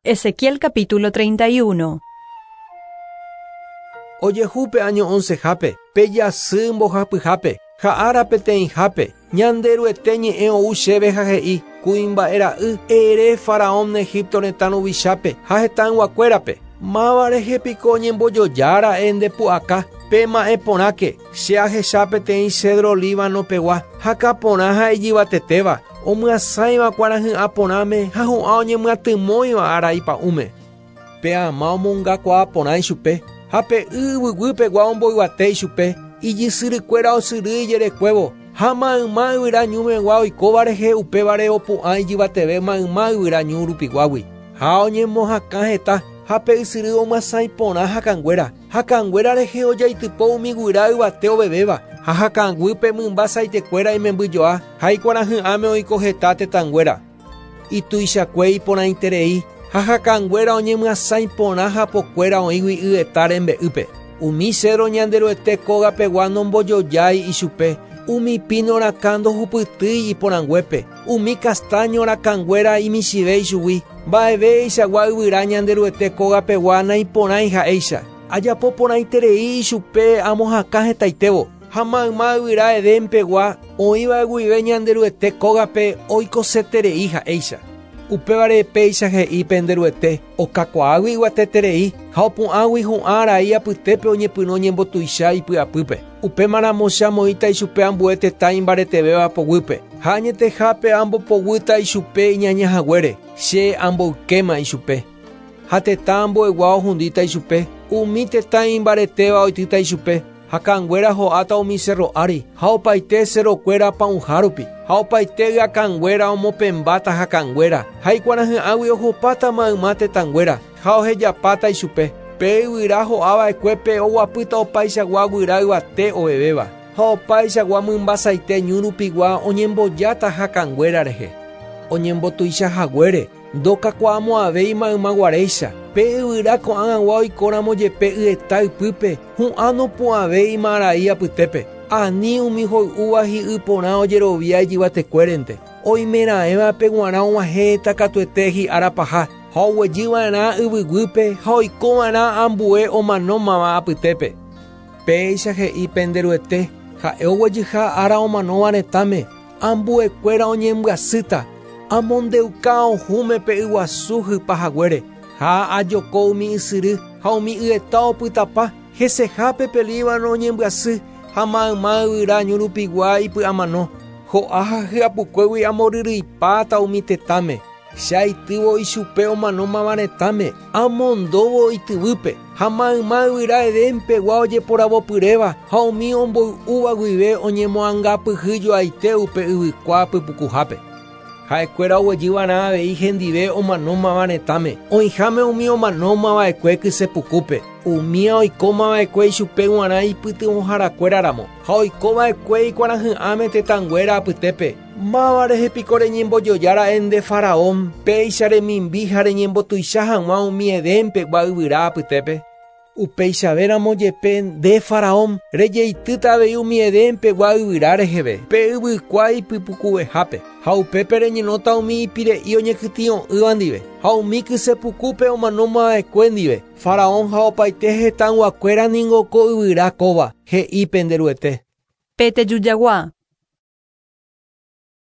Ezequiel capítulo 31. Ojehu pe áño oncehápe, pe jasy mbohapyhápe, ha ára peteĩhápe, Ñanderuete ñe'ẽ ou chéve ha he'i, Kuimba'e ra'y, ere faraón Egipto retã ruvichápe ha hetãyguakuérape, Máva rehe piko oñembojoja ra'e nde pu'aka? Pema'ẽ porãke, che ahecha peteĩ cedro Líbano pegua, hakã porã ha ijyvatetéva, omyasãiva kuarahy'ã porãme ha hu'ã oñemyatymóiva ára ipa'ũme. Pe ama omongakuaa porã ichupe, ha pe y yvyguy pegua omboyvate ichupe, ijysyrykuéra osyry ijerekuévo, ha mayma yvyra ñu megua oikóva rehe upévare opu'ã ijyvateve mayma yvyra ñu rupiguágui. Ha oñemohakã heta, ha pe ysyry omyasãi porã hakãnguéra, hakãnguéra rehe ojaitypo umi guyra yvate ovevéva, ha hakãguýpe mymba saitekuéra imembyjoa, ha ikuarahy'ãme oiko heta tetãnguéra. Ituichakue iporãiterei, ha hakãnguéra oñemyasãi porã hapokuéra oĩgui yeta rembe'ýpe. Umi cedro Ñanderuete kóga pegua nombojojái ichupe, umi pino rakã ndohupytýi iporãnguépe, umi castaño rakãnguéra imichĩve ichugui, mba'evéichagua yvyra Ñanderuete kóga pegua naiporãi ha'éicha. Ajapo porãiterei ichupe amohakã hetaitévo, ha mayma yvyra Edén pegua oĩva guive Ñanderuete kógape oikoseterei ha'éicha. Upévare péicha he'i pende Ruete, okakuaágui yvateterei ha opu'ãgui hu'ã arai apytépe oñepyrũ oñembotuicha ipy'apýpe. Upémaramo che amoĩta ichupe ambue tetã imbaretevéva poguýpe, ha añetehápe ambopoguýta ichupe iñaña haguére, che amboykéma ichupe. Ha tetã ambuegua ohundíta ichupe, umi tetã imbaretéva oitýta ichupe, Hakãnguéra ho'áta umi sérro ári, ha opaite serrokuéra pa'ũha rupi, ha opaite yakãnguéra omopẽmbáta hakãnguéra, ha ikuarahy'ãgui ohopáta mayma tetãnguéra, ha ohejapáta ichupe. Pe yvyra ho'a va'ekuépe oguapýta opaichagua guyra yvate ovevéva, ha opaichagua mymba saite ñu rupigua oñembojáta hakãnguéra rehe. Oñembotuicha haguére, Ndokakuaamo'ãvéi mayma guaréicha, pe yvyra ko'ág̃agua oikóramo jepe yeta ypýpe, hu'ã nopu'ãvéi imarai apytépe. Ani umi hoy'úva hi'y porã ojerovia ijyvatekuérente. Oimeraẽvape g̃uarã og̃uahẽta katuete hi'ára paha, ha oguejy va'erã yvyguýpe ha oiko va'erã ambue omanómava apytépe. Péicha he'i pende Ruete, ha'e oguejyha ára omanóva retãme, Ambuekuéra oñembyasýta, amondeuka ohũme pe yguasu hypa haguére, ha ajoko umi ysyry ha umi yeta opytapa, hesehápe pe Líbano oñembyasy ha mayma yvyra ñu rupigua ipy'amano, ho'a ha hyapukuégui amboryryipáta umi tetãme. Che aitývo ichupe omanómava retãme, amondóvo ityvýpe, ha mayma yvyra Edén pegua ojeporavopyréva ha umi omboy'úva guive oñemoangapyhy joaite upe yvykua pypukuhápe. Ha'ekuéra oguejy va'erã avei hendive omanómava retãme, oĩháme umi omanóma va'ekue kyse pukúpe, umía oikóma va'ekue ichupe g̃uarã ipytyvõharakuéra ramo, ha oiko va'ekue ikuarahy'ãme tetãnguéra apytépe. Máva rehe piko reñembojoja ra'e nde faraón, péicha remimbi ha reñembotuicha hag̃ua umi Edén pegua yvyra apytépe? Upeichavéramo jepe nde faraón, rejeitýta avei umi Edén pegua yvyra reheve, pe yvykua ipypukuvehápe, ha upépe reñenóta umi ipire'i oñekytĩ'o'ỹva ndive, ha umi kyse pukúpe omanóma va'ekue ndive. Faraón ha opaite hetãyguakuéra ningo ko yvyra kóva, he'i pende Ruete. Pe tejujagua.